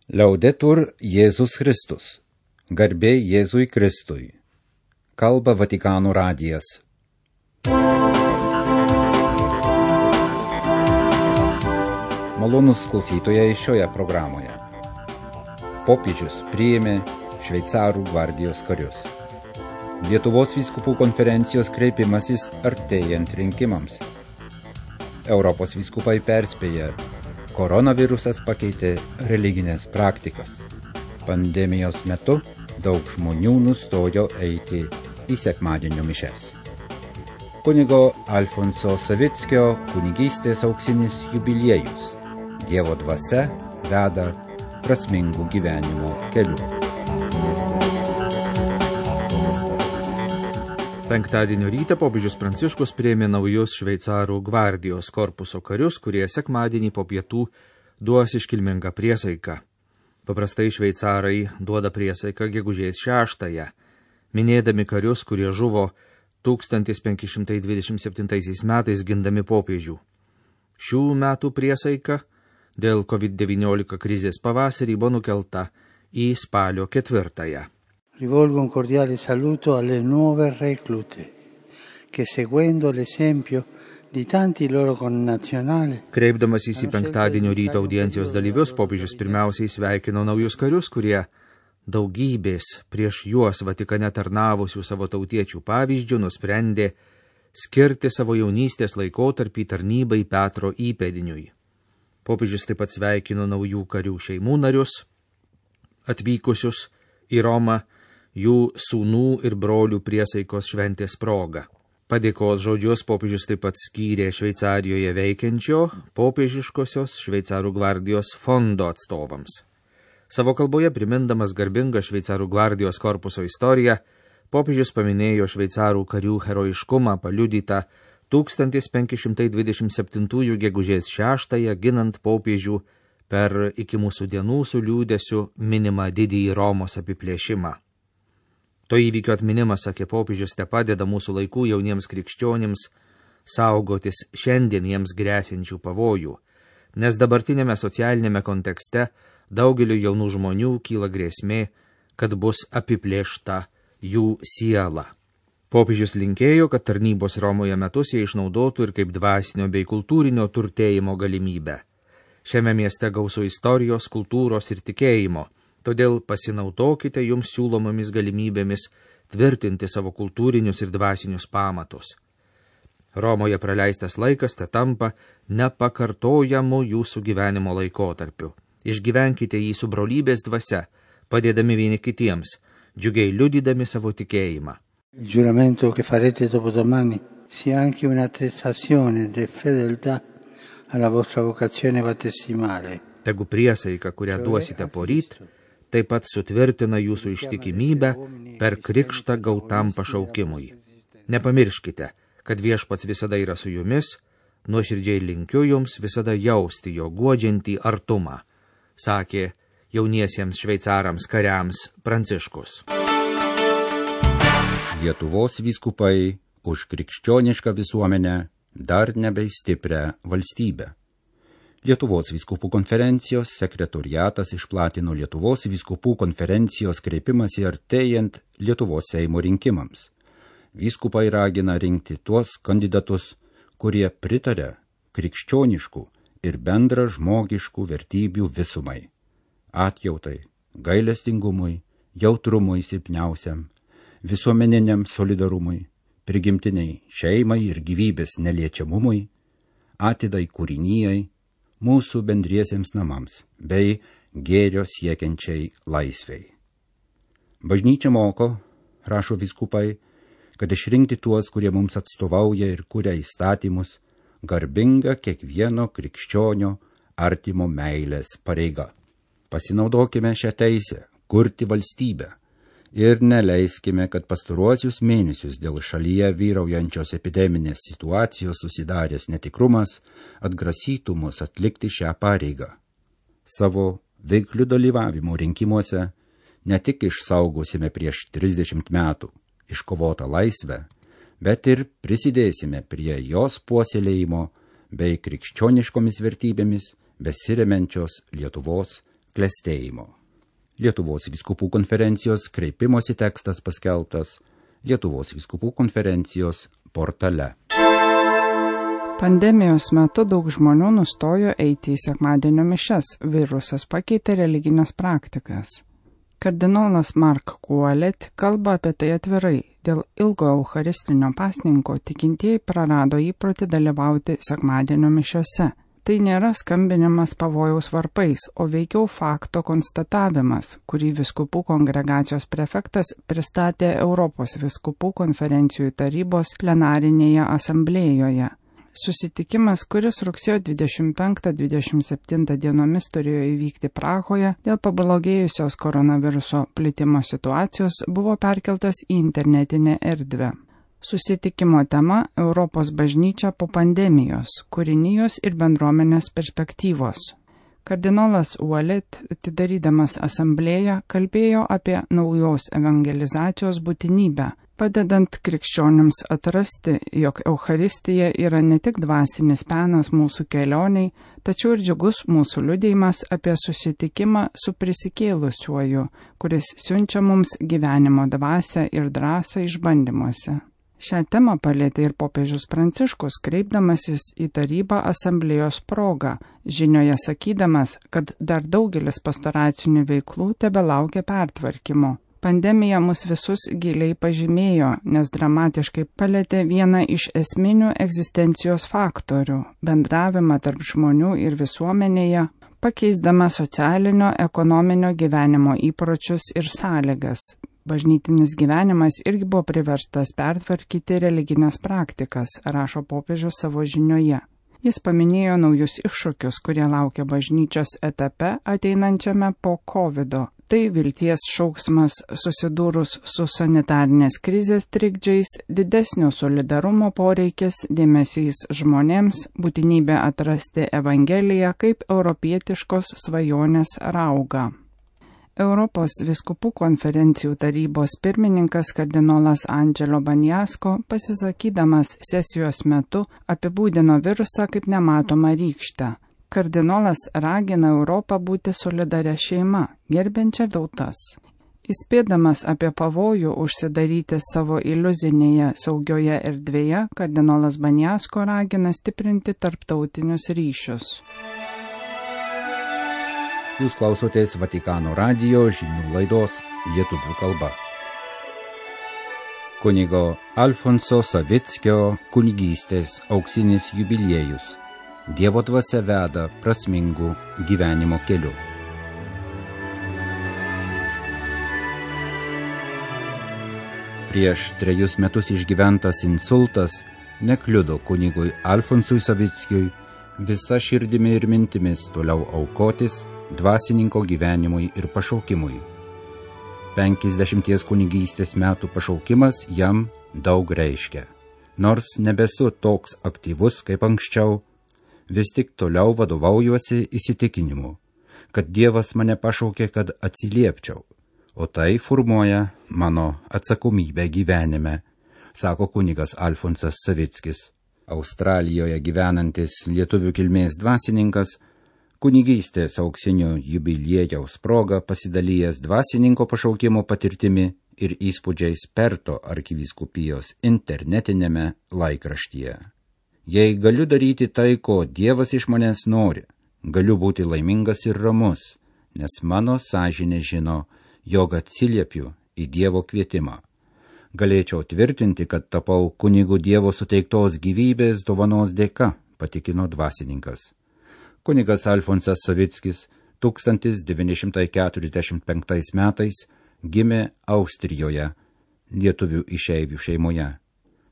Liaudetur Jėzus Kristus. Garbė Jėzui Kristui. Kalba Vatikano radijas. Malonus klausytojai šioje programoje. Popiežius priėmė šveicarų gvardijos karius. Lietuvos vyskupų konferencijos kreipimasis artėjant rinkimams. Europos vyskupai perspėja, koronavirusas pakeitė religinės praktikas. Pandemijos metu daug žmonių nustojo eiti į sekmadienio mišes. Kunigo Alfonso Savickio kunigystės auksinis jubiliejus. Dievo dvasia veda prasmingų gyvenimo keliu. Penktadienio rytą popiežius Pranciškus priėmė naujus šveicarų gvardijos korpuso karius, kurie sekmadienį po pietų duos iškilmingą priesaiką. Paprastai šveicarai duoda priesaiką gegužės 6, minėdami karius, kurie žuvo 1527 metais gindami popiežių. Šių metų priesaika dėl COVID-19 krizės pavasarį buvo nukelta į spalio 4. Rivolgo un cordiale saluto alle nuove reclute, che seguendo l'esempio di tanti loro connazionali. Kreipdamasis į penktadienio ryto audiencijos dalyvius, popiežius pirmiausiai sveikino naujus karius, kurie daugybės prieš juos Vatikane tarnavusių savo tautiečių pavyzdžių nusprendė skirti savo jaunystės laikotarpį tarnybai Petro įpėdiniui. Popiežius taip pat sveikino naujų karių šeimų narius, atvykusius į Romą, jų sūnų ir brolių priesaikos šventės proga. Padėkos žodžius popiežius taip pat skyrė Šveicarijoje veikiančio popiežiškosios šveicarų gvardijos fondo atstovams. Savo kalboje primindamas garbingą šveicarų gvardijos korpuso istoriją, popiežius paminėjo šveicarų karių herojiškumą paliudytą 1527 gegužės 6 ginant popiežių per iki mūsų dienų su liūdesiu minimą didįjį Romos apiplėšimą. To įvykio atminimas, sakė popiežius, te padeda mūsų laikų jauniems krikščionims saugotis šiandien jiems grėsiančių pavojų, nes dabartinėme socialinėme kontekste daugeliu jaunų žmonių kyla grėsmė, kad bus apiplėšta jų siela. Popiežius linkėjo, kad tarnybos Romoje metus jie išnaudotų ir kaip dvasinio bei kultūrinio turtėjimo galimybę. Šiame mieste gausu istorijos, kultūros ir tikėjimo. Todėl pasinaudokite jums siūlomomis galimybėmis tvirtinti savo kultūrinius ir dvasinius pamatus. Romoje praleistas laikas te tampa nepakartojamu jūsų gyvenimo laikotarpiu. Išgyvenkite jį su brolybės dvasia, padėdami vieni kitiems, džiugiai liudydami savo tikėjimą. Il giuramento che farete dopodomani sia anche un'attestazione di fedeltà alla vostra vocazione battesimale. Tegu priesaika, kurią duosite poryt, taip pat sutvirtina jūsų ištikimybę per krikštą gautam pašaukimui. Nepamirškite, kad Viešpats visada yra su jumis, nuoširdžiai linkiu jums visada jausti jo guodžiantį artumą, sakė jauniesiems šveicarams kariams Pranciškus. Lietuvos vyskupai už krikščionišką visuomenę dar nebei stiprią valstybę. Lietuvos vyskupų konferencijos sekretoriatas išplatino Lietuvos vyskupų konferencijos kreipimąsi artėjant Lietuvos Seimo rinkimams. Vyskupai ragina rinkti tuos kandidatus, kurie pritaria krikščioniškų ir bendra žmogiškų vertybių visumai, atjautai, gailestingumui, jautrumui silpniausiam, visuomeniniam solidarumui, prigimtiniai šeimai ir gyvybės neliečiamumui, atidai kūrinijai, mūsų bendriesiems namams bei gėrio siekiančiai laisvei. Bažnyčia moko, rašo vyskupai, kad išrinkti tuos, kurie mums atstovauja ir kuria įstatymus, garbinga kiekvieno krikščionio artimo meilės pareiga. Pasinaudokime šią teisę kurti valstybę ir neleiskime, kad pastaruosius mėnesius dėl šalyje vyraujančios epideminės situacijos susidaręs netikrumas atgrasytų mus atlikti šią pareigą. Savo veikliu dalyvavimu rinkimuose ne tik išsaugosime prieš 30 metų iškovotą laisvę, bet ir prisidėsime prie jos puoselėjimo bei krikščioniškomis vertybėmis besiremiančios Lietuvos klestėjimo. Lietuvos vyskupų konferencijos kreipimosi tekstas paskelbtas Lietuvos vyskupų konferencijos portale. Pandemijos metu daug žmonių nustojo eiti į sekmadienio mišias, virusas pakeitė religinės praktikas. Kardinolas Mark Ouellet kalba apie tai atvirai. Dėl ilgo eucharistinio pasninko tikintieji prarado įprotį dalyvauti sekmadienio mišiose. Tai nėra skambinimas pavojaus varpais, o veikiau fakto konstatavimas, kurį vyskupų kongregacijos prefektas pristatė Europos vyskupų konferencijų tarybos plenarinėje asamblėjoje. Susitikimas, kuris rugsėjo 25-27 dienomis turėjo įvykti Prahoje dėl pablogėjusios koronaviruso plitimo situacijos, buvo perkeltas į internetinę erdvę. Susitikimo tema – Europos bažnyčia po pandemijos, kūrinijos ir bendruomenės perspektyvos. Kardinolas Ouellet, atidarydamas asamblėją, kalbėjo apie naujos evangelizacijos būtinybę, padedant krikščionims atrasti, jog Eucharistija yra ne tik dvasinis penas mūsų kelioniai, tačiau ir džiugus mūsų liudijimas apie susitikimą su prisikėlusiuoju, kuris siunčia mums gyvenimo dvasią ir drąsą išbandymuose. Šią temą palėtė ir popiežius Pranciškus, kreipdamasis į tarybą asamblėjos progą, žinioje sakydamas, kad dar daugelis pastoracinių veiklų tebelaukia pertvarkymo. Pandemija mus visus giliai pažymėjo, nes dramatiškai palėtė vieną iš esminių egzistencijos faktorių – bendravimą tarp žmonių ir visuomenėje, pakeisdama socialinio, ekonominio gyvenimo įpročius ir sąlygas. Bažnytinis gyvenimas irgi buvo priverstas pertvarkyti religinės praktikas, rašo popiežius savo žinioje. Jis paminėjo naujus iššūkius, kurie laukia bažnyčios etape ateinančiame po COVID-o. Tai vilties šauksmas susidūrus su sanitarinės krizės trikdžiais, didesnio solidarumo poreikis, dėmesys žmonėms, būtinybė atrasti Evangeliją kaip europietiškos svajonės raugą. Europos vyskupų konferencijų tarybos pirmininkas kardinolas Angelo Banjasko, pasisakydamas sesijos metu, apibūdino virusą kaip nematomą rykštę. Kardinolas ragina Europą būti solidaria šeima, gerbiančia tautas. Įspėdamas apie pavojų užsidaryti savo iliuzinėje saugioje erdvėje, kardinolas Banjasko ragina stiprinti tarptautinius ryšius. Jūs klausotės Vatikano radijo žinių laidos lietuvių kalba. Kunigo Alfonso Savickio kunigystės auksinis jubiliejus. Dievo dvasia veda prasmingų gyvenimo keliu. Prieš 3 metus išgyventas insultas nekliudo kunigui Alfonsui Savickiui visa širdimi ir mintimis toliau aukotis dvasininko gyvenimui ir pašaukimui. 50 kunigystės metų pašaukimas jam daug reiškia. Nors nebesu toks aktyvus kaip anksčiau, vis tik toliau vadovaujuosi įsitikinimu, kad Dievas mane pašaukė, kad atsiliepčiau, o tai formuoja mano atsakomybę gyvenime, sako kunigas Alfonsas Savickis. Australijoje gyvenantis lietuvių kilmės dvasininkas kunigystės auksinio jubiliejaus proga pasidalijęs dvasininko pašaukimo patirtimi ir įspūdžiais Perto arkivyskupijos internetinėme laikraštyje. Jei galiu daryti tai, ko Dievas iš manęs nori, galiu būti laimingas ir ramus, nes mano sąžinė žino, jog atsiliepiu į Dievo kvietimą. Galėčiau tvirtinti, kad tapau kunigų Dievo suteiktos gyvybės dovanos dėka, patikino dvasininkas. Kunigas Alfonsas Savickis 1945 metais gimė Austrijoje, lietuvių išeivių šeimoje.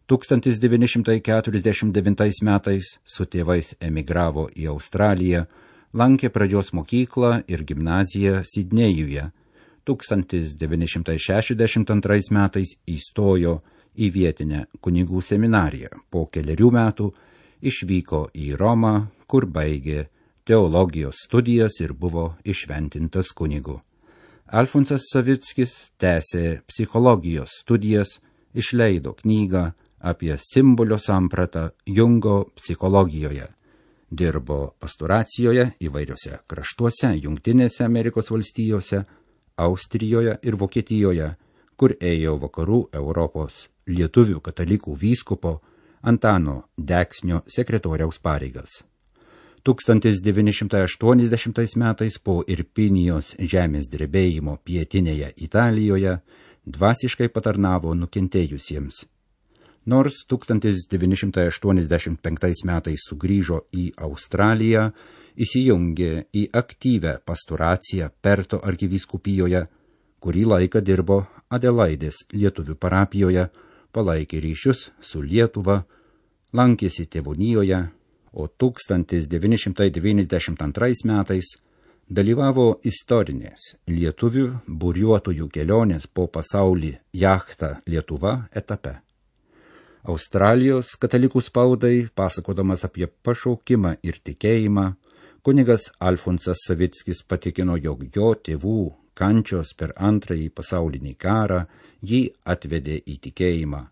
1949 metais su tėvais emigravo į Australiją, lankė pradžios mokyklą ir gimnaziją Sidnėjuje. 1962 metais įstojo į vietinę kunigų seminariją. Po 4 metų išvyko į Romą, kur baigė teologijos studijas ir buvo išventintas kunigu. Alfonsas Savickis tęsė psichologijos studijas, išleido knygą apie simbolio sampratą Jungo psichologijoje. Dirbo pastoracijoje įvairiose kraštuose, Jungtinėse Amerikos valstijose, Austrijoje ir Vokietijoje, kur ėjo vakarų Europos lietuvių katalikų vyskupo Antano Deksnio sekretoriaus pareigas. 1980 metais po Irpinijos žemės drebėjimo pietinėje Italijoje dvasiškai patarnavo nukentėjusiems. Nors 1985 metais sugrįžo į Australiją, įsijungė į aktyvę pastoraciją Perto arkivyskupijoje, kurį laiką dirbo Adelaidės lietuvių parapijoje, palaikė ryšius su Lietuva, lankėsi tėvonijoje, o 1992 metais dalyvavo istorinės lietuvių buriuotojų kelionės po pasaulį jachta Lietuva etape. Australijos katalikų spaudai, pasakodamas apie pašaukimą ir tikėjimą, kunigas Alfonsas Savickis patikino, jog jo tėvų kančios per antrąjį pasaulinį karą jį atvedė į tikėjimą.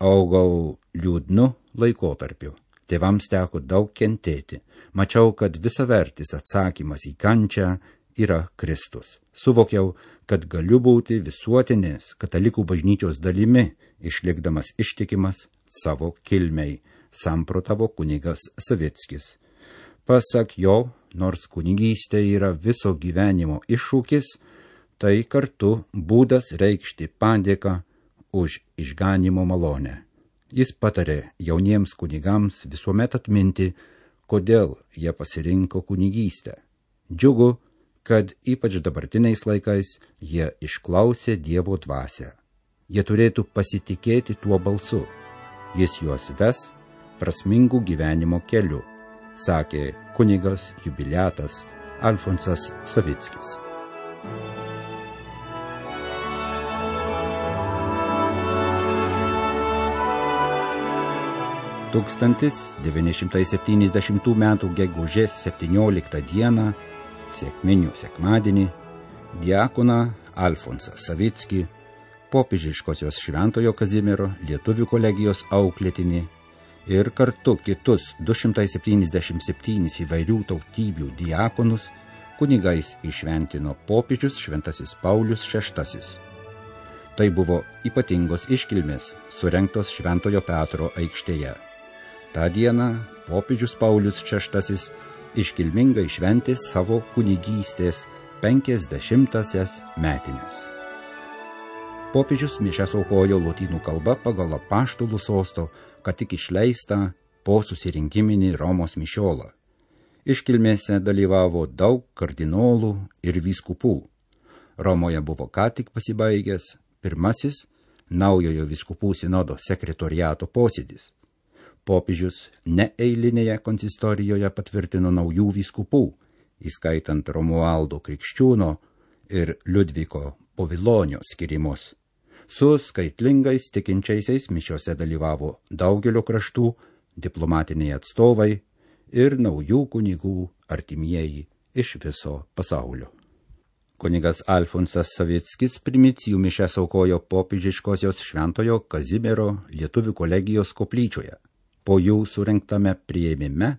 Augau liūdnu laikotarpiu. Tėvams teko daug kentėti. Mačiau, kad visavertis atsakymas į kančią yra Kristus. Suvokiau, kad galiu būti visuotinės katalikų bažnyčios dalimi, išlikdamas ištikimas savo kilmei, samprotavo kunigas Savickis. Pasak jo, nors kunigystė yra viso gyvenimo iššūkis, tai kartu būdas reikšti padėką už išganimo malonę. Jis patarė jauniems kunigams visuomet atminti, kodėl jie pasirinko kunigystę. Džiugu, kad ypač dabartiniais laikais jie išklausė Dievo dvasią. Jie turėtų pasitikėti tuo balsu. Jis juos ves prasmingų gyvenimo keliu, sakė kunigas jubiliatas Alfonsas Savickis. – 1970 m. gegužės 17 d. sekminių sekmadienį diakoną Alfonsą Savickį, popiežiškosios Šventojo Kazimiero lietuvių kolegijos auklėtinį ir kartu kitus 277 įvairių tautybių diakonus kunigais įšventino popiežius Šventasis Paulius VI. Tai buvo ypatingos iškilmės, surengtos Šventojo Petro aikštėje. Ta dieną popiežius Paulius VI iškilmingai šventė savo kunigystės 50-asias metines. Popiežius mišias aukojo lotynų kalba pagal apaštalų sosto, kad tik išleistą po susirinkiminį Romos mišiolą. Iškilmėse dalyvavo daug kardinolų ir vyskupų. Romoje buvo ką tik pasibaigęs pirmasis naujojo vyskupų sinodo sekretoriato posėdis. Popiežius neeilinėje konsistorijoje patvirtino naujų vyskupų, įskaitant Romualdo Krikščiūno ir Liudviko Povilonio skirimus. Su skaitlingais tikinčiaisiais mišiose dalyvavo daugelio kraštų, diplomatiniai atstovai ir naujų kunigų artimieji iš viso pasaulio. Kunigas Alfonsas Savickis primicijų mišias aukojo popiežiškosios Šventojo Kazimiero lietuvių kolegijos koplyčioje. Po jų surengtame priėmime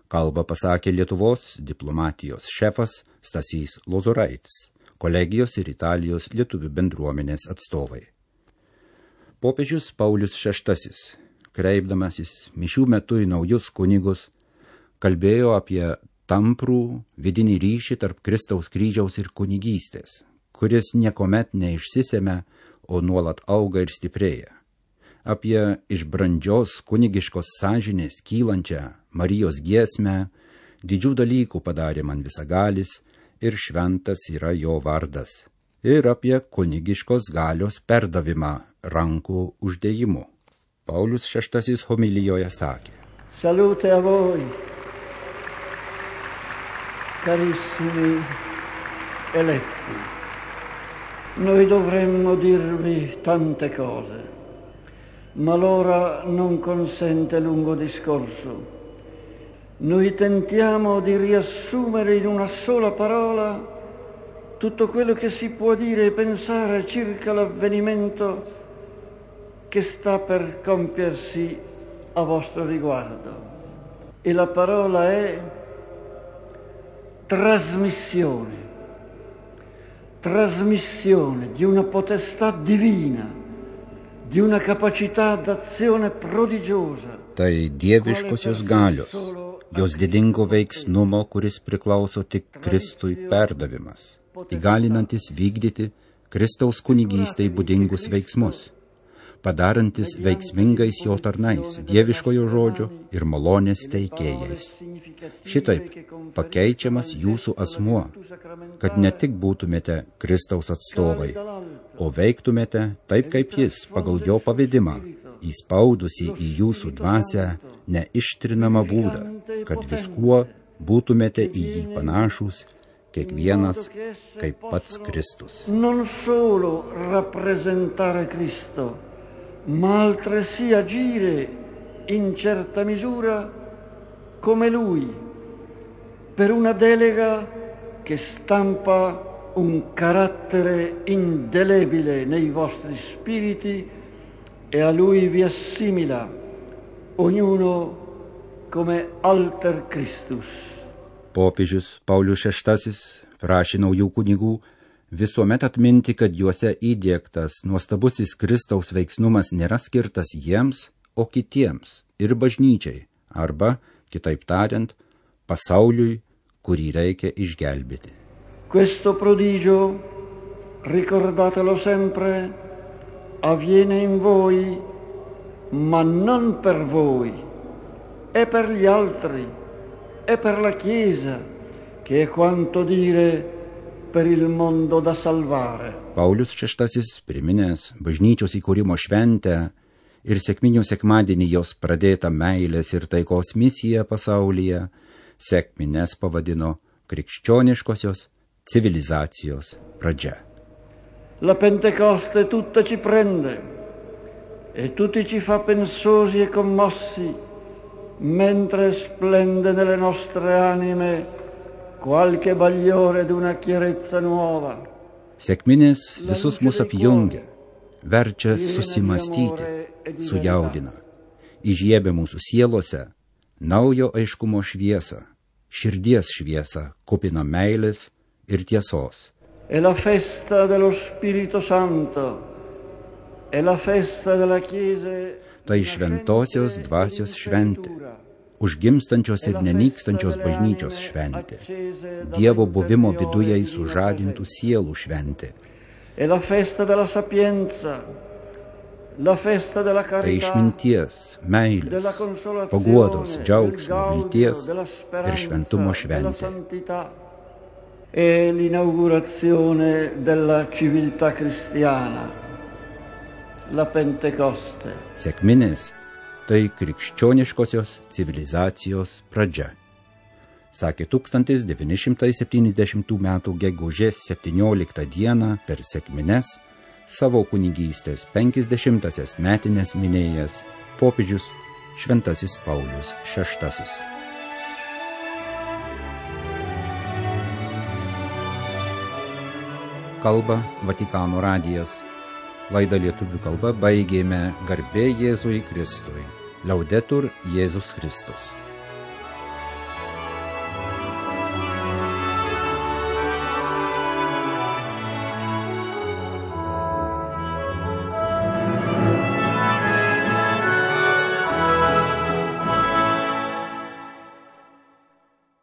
kalbą pasakė Lietuvos diplomatijos šefas Stasys Lozoraitis, kolegijos ir Italijos lietuvių bendruomenės atstovai. Popiežius Paulius VI, kreipdamasis mišių metu į naujus kunigus, kalbėjo apie tamprų vidinį ryšį tarp Kristaus kryžiaus ir kunigystės, kuris niekuomet neišsisėmė, o nuolat auga ir stiprėja. Apie iš brandžios kunigiškos sąžinės kylančią Marijos giesmę, didžių dalykų padarė man visagalis ir šventas yra jo vardas, ir apie kunigiškos galios perdavimą rankų uždėjimu. Paulius VI homilijoje sakė: Salute a voi, carissimi eletti. Noi dovremmo dirvi tante cose, ma l'ora non consente lungo discorso. Noi tentiamo di riassumere in una sola parola tutto quello che si può dire e pensare circa l'avvenimento che sta per compiersi a vostro riguardo. e la parola è trasmissione. Trasmissione di una potestà divina, di una capacità d'azione prodigiosa. Tai dieviškosios galios, jos didingo veiksnumo, kuris priklauso tik Kristui perdavimas, įgalinantis vykdyti Kristaus kunigystei būdingus veiksmus, padarantis veiksmingais jo tarnais, dieviškojo žodžio ir malonės teikėjais. Šitaip pakeičiamas jūsų asmuo, kad ne tik būtumėte Kristaus atstovai, o veiktumėte taip kaip jis pagal jo pavedimą, įspaudusi į jūsų dvasią neištrinamą būdą, kad viskuo būtumėte į jį panašus, kiekvienas kaip pats Kristus. Non solo rappresentare Cristo, ma altresì agire in certa misura come Lui, per una delega che stampa un carattere indelebile nei vostri spiriti e a Lui vi assimila, ognuno come alter Christus. Popiežius Paulius VI prašė naujų kunigų visuomet atminti, kad juose įdiegtas nuostabusis Kristaus veiksnumas nėra skirtas jiems, o kitiems ir bažnyčiai, arba, kitaip tariant, pasauliui, kurį reikia išgelbėti. Questo prodigio, ricordatelo sempre, avviene in voi, ma non per voi, è per gli altri, è per la Chiesa, che è quanto dire per il mondo da salvare. Paulius VI priminęs bažnyčios įkūrimo šventę ir sekminių sekmadienį jos pradėtą meilės ir taikos misiją pasaulyje, sekmines pavadino krikščioniškosios civilizacijos pradžia. La Pentecoste tutta ci prende e tutti ci fa pensosi e commossi, mentre splende nelle nostre anime qualche bagliore d'una chiarezza nuova. Sekminės visus mus apjungia, verčia susimastyti, sujaudina, įžiebia mūsų sielose naujo aiškumo šviesą, širdies šviesą, kupina meilės ir tiesos. È la festa dello Spirito Santo, è la festa della Chiesa. Tai šventosios dvasios šventė, užgimstančios ir nenykstančios bažnyčios šventė, Dievo buvimo viduje sužadintų sielų šventė. Tai išminties, meilės, paguodos, džiaugsmo, vilties ir šventumo šventė. È l'inaugurazione della civiltà cristiana, la Pentecoste. Sekminės tai krikščioniškosios civilizacijos pradžia, sakė 1970 m. gegužės 17 d. per sekmines savo kunigystės 50-asias metines minėjęs popiežius Šventasis Paulius VI. Kalba Vatikano radijas. Laidą lietuvių kalba baigėme garbė Jėzui Kristui. Laudetur Jėzus Kristus.